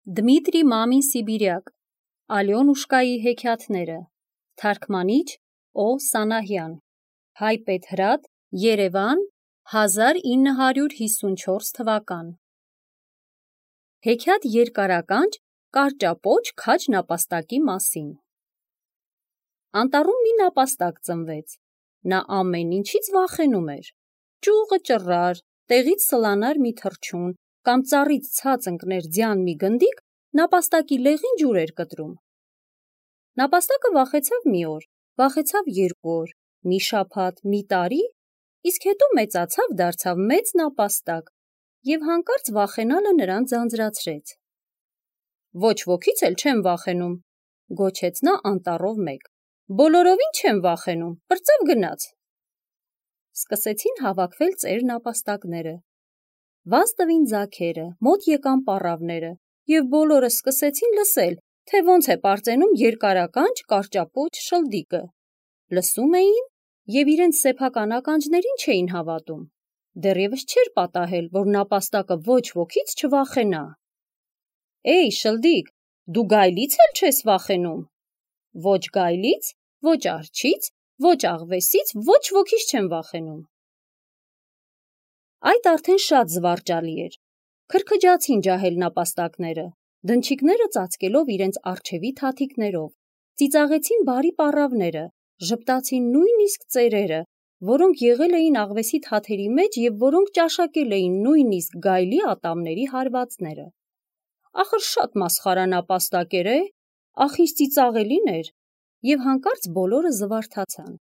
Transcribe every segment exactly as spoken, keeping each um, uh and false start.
Դմիտրի Մամին Սիբիրյակ, Ալյոնուշկայի հեքիաթները, թարգմանիչ Օ. Սանահյան, Հայ Պետհրատ, Երևան, հազար ինը հարյուր հիսունչորս թվական։ Հեքիաթ երկարականջ կարճապոչ քաջ նապաստակի մասին։ Անտառում մի նապաստակ ծնվեց, նա ամեն ինչից վախենում էր, ճյուղը ճռար, տեղից սլանար մի թռչուն, կամ ծառից ցած ընկներ ձյան մի գնդիկ, նապաստակի լեղին ջուր էր կտրում։ Նապաստակը վախեցավ մի օր, վախեցավ երկու օր, մի շաբաթ, մի տարի, իսկ հետո մեծացավ, դարձավ մեծ նապաստակ, և հանկարծ վախենալը նրան ձանձրացրեց։ Ոչ ոքից էլ չեմ վախենում, գոչեց նա անտառով մեկ, բոլորովին չեմ վախենում, պրծավ գնաց։ Սկսեցին հավաքվել ծեր նապաստակները, վազ տվին ձագերը, մոտ եկան պառավները, և բոլորը սկսեցին լսել, թե ոնց է պարծենում երկարականջ կարճապոչ շլդիկը։ Լսում էին և իրենց սեփական ականջներին չէին հավատում, դեռևս չէր պատահել, որ նապաստակը ոչ ոքից չվախենա։ Էй, շլդիկ, դու գայլից էլ չես վախենում։ Ոչ գայլից, ոչ արջից, ոչ աղվեսից, ոչ ոքից չեմ վախենում։ Այդ արդեն շատ զվարճալի էր։ Քրքջացին ջահել նապաստակները, դնչիկները ծածկելով իրենց առջևի թաթիկներով, ծիծաղեցին բարի պառավները, ժպտացին նույնիսկ ծերերը, որոնք եղել էին աղվեսի թաթերի մեջ և որոնք ճաշակել էին նույնիսկ գայլի ատամների հարվածները։ Ախր շատ մասխարա նապաստակ էր է, ախ ինչ ծիծաղելին էր, և հանկարծ բոլորը զվարթացան։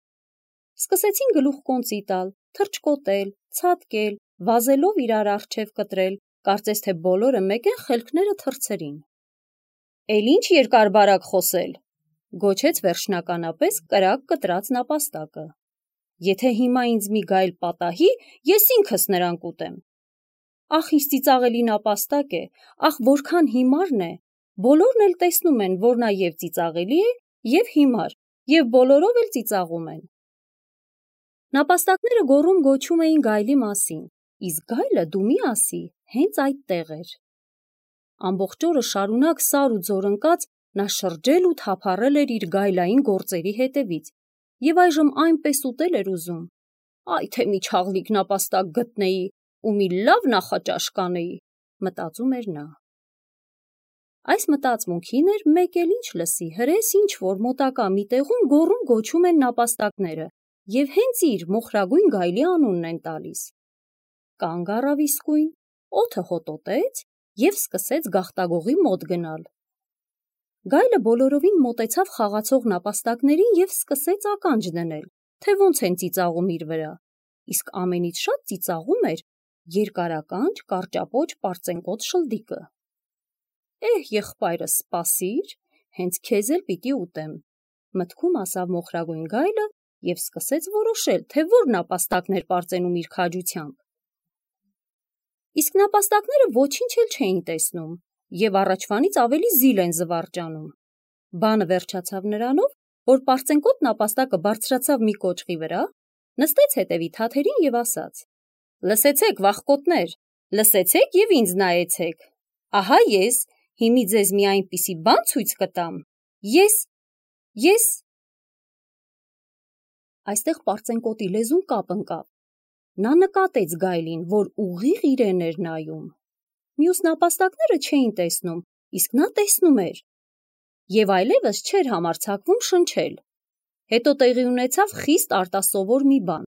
Սկսեցին գլուխկոնծի տալ, թռչկոտել, ցատկել, վազելով իրար առջև կտրել, կարծես թե բոլորը մեկ են խելքները թռցրին։ Էլ ինչ երկար-բարակ խոսել, գոչեց վերջնականապես կրակ կտրած նապաստակը։ Եթե հիմա ինձ մի գայլ պատահի, ես ինքս նրան կուտեմ։ Ախ ինչ ծիծաղելի նապաստակ է, ախ որքան հիմարն է, բոլորն էլ տեսնում են, որ նա և ծիծաղելի է, և հիմար, և բոլորով էլ ծիծաղում են։ Նապաստակները գոռում-գոչում էին գայլի մասին, իսկ գայլը դու մի ասի, հենց այդտեղ էր։ Ամբողջ օրը շարունակ սար ու ձոր ընկած նա շրջել ու թափառել էր իր գայլային գործերի հետևից, և այժմ այնպես ուտել էր ուզում, այ թե մի չաղլիկ նապաստակ գտնեի ու մի լավ նախաճաշ կանեի, մտածում էր նա։ Այս մտածմունքին էր մեկ էլ ինչ լսի, հրես ինչ-որ մոտակա մի տեղում գոռում-գոչում են նապաստակները և հենց իր մոխրագույն գայլի անունն են տալիս։ Կանգ առավ իսկույն, օդը հոտոտեց և սկսեց գաղտագողի մոտ գնալ։ Գայլը բոլորովին մոտեցավ խաղացող նապաստակներին և սկսեց ականջ դնել, թե ոնց են ծիծաղում իր վրա, իսկ ամենից շատ ծիծաղում էր երկարականջ կարճապոչ պարծենկոտ շլդիկը։ Էհ, եղբայրս, սպասիր, հենց քեզ էլ պիտի ուտեմ, մտքում ասավ մոխրագույն գայլը և սկսեց որոշել, թե որ նապաստակն էր պարծենում իր քաջությամբ։ Իսկ նապաստակները ոչինչ էլ չէին տեսնում և առաջվանից ավելի զիլ են զվարճանում։ Բանը վերջացավ նրանով, որ պարծենկոտ նապաստակը բարձրացավ մի կոճղի վրա, նստեց հետևի թաթերին և ասաց. «Լսեցեք, վախկոտներ, լսեցեք և ինձ նայեցեք, ահա ես հիմի ձեզ մի այնպիսի բան ցույց կտամ, ես, ես…» Այստեղ պարծենկոտի լեզուն կապ ընկավ։ Նա նկատեց գայլին, որ ուղիղ իրեն էր նայում։ Մյուս նապաստակները չէին տեսնում, իսկ նա տեսնում էր և այլևս չէր համարձակվում շնչել։ Հետո տեղի ունեցավ խիստ արտասովոր մի բան։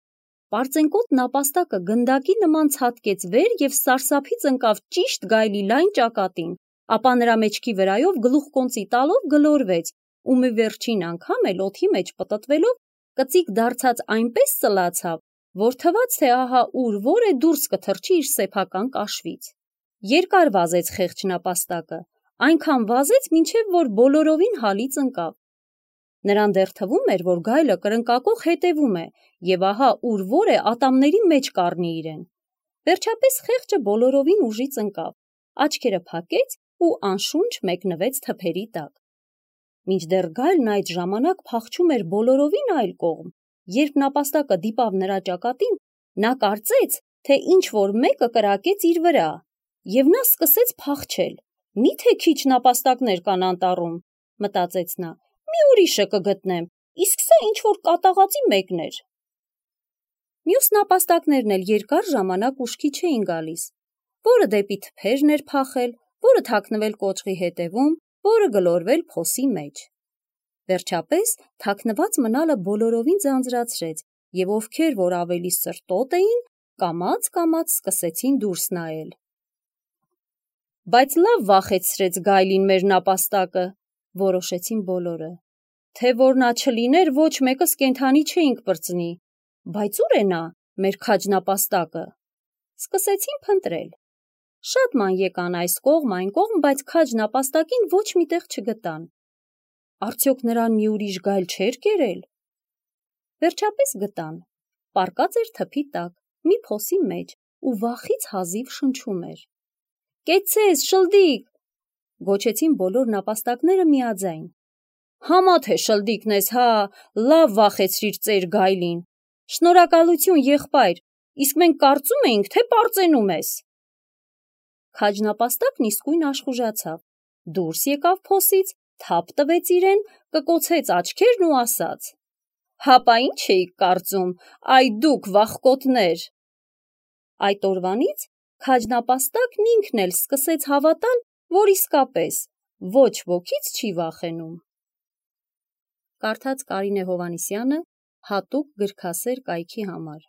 Պարծենկոտ նապաստակը գնդակի նման ցատկեց վեր և սարսափից ընկավ ճիշտ գայլի լայն ճակատին, ապա նրա մեջքի վրայով գլուխկոնծի տալով գլորվեց ու մի վերջին անգամ էլ օդի մեջ պտտվելով կծիկ դարձած այնպես ծլացավ, որ թվաց, թե ահա ուր որ է դուրս կթռչի իր սեփական կաշվից։ Երկար վազեց խեղճ նապաստակը, այնքան վազեց, մինչև որ բոլորովին հալից ընկավ։ Նրան դեռ թվում էր, որ գայլը կրնկակոխ հետևում է և ահա ուր որ է ատամների մեջ կառնի իրեն։ Վերջապես խեղճը բոլորովին ուժից ընկավ, աչքերը փակեց ու անշունչ մեկնվեց թփերի տակ։ Մինչդեռ գայլն այդ ժամանակ փախչում էր բոլորովին այլ կողմ, երբ նապաստակը դիպավ նրա ճակատին, նա կարծեց, թե ինչ-որ մեկը կրակեց իր վրա, և նա սկսեց փախչել, Մի՞թե քիչ նապաստակներ կան անտառում, մտածեց նա, մի ուրիշը կգտնեմ, իսկ սա ինչ-որ կատաղածի մեկն էր։ Մյուս նապաստակներն էլ երկար ժամանակ ուշքի չէին գալիս, որը դեպի թփերն էր փախել, որը թաքնվել կոճղի հետևում, որը գլորվել փոսի մեջ։ Վերջապես թաքնված մնալը բոլորովին ձանձրացրեց, և ովքեր որ ավելի սրտոտ էին, կամաց-կամաց սկսեցին դուրս նայել։ Բայց լավ վախեցրեց գայլին մեր նապաստակը, որոշեցին բոլորը, թե որ նա չլիներ, ոչ մեկս կենդանի չէինք պրծնի, բայց ուր է նա, մեր քաջ նապաստակը։ Սկսեցին փնտրել։ Շատ ման եկան այս կողմ, այն կողմ, բայց քաջ նապաստակին ոչ մի տեղ չգտան։ Արդյոք նրան մի ուրիշ գայլ չէր կերել։ Վերջապես գտան։ Պառկած էր թփի տակ, մի փոսի մեջ ու վախից հազիվ շնչում էր։ Կեցցես, շլդիկ, գոչեցին բոլոր նապաստակները միաձայն։ Համա թե շլդիկն ես, հա, լավ վախեցրիր ծեր գայլին։ Շնորհակալություն, եղբայր, իսկ մենք կարծում էինք, թե պարծենում ես։ Քաջ նապաստակն իսկույն աշխուժացավ, դուրս եկավ փոսից, թափ տվեց իրեն, կկոցեց աչքերն ու ասաց. Հապա ինչ էիք կարծում, այ դուք վախկոտներ։ Այդ օրվանից քաջ նապաստակն ինքն էլ սկսեց հավատալ, որ իսկապես ոչ ոքից չի վախենում։ Կարդաց Կարինե Հովհաննիսյանը հատուկ գրքասեր կայքի համար։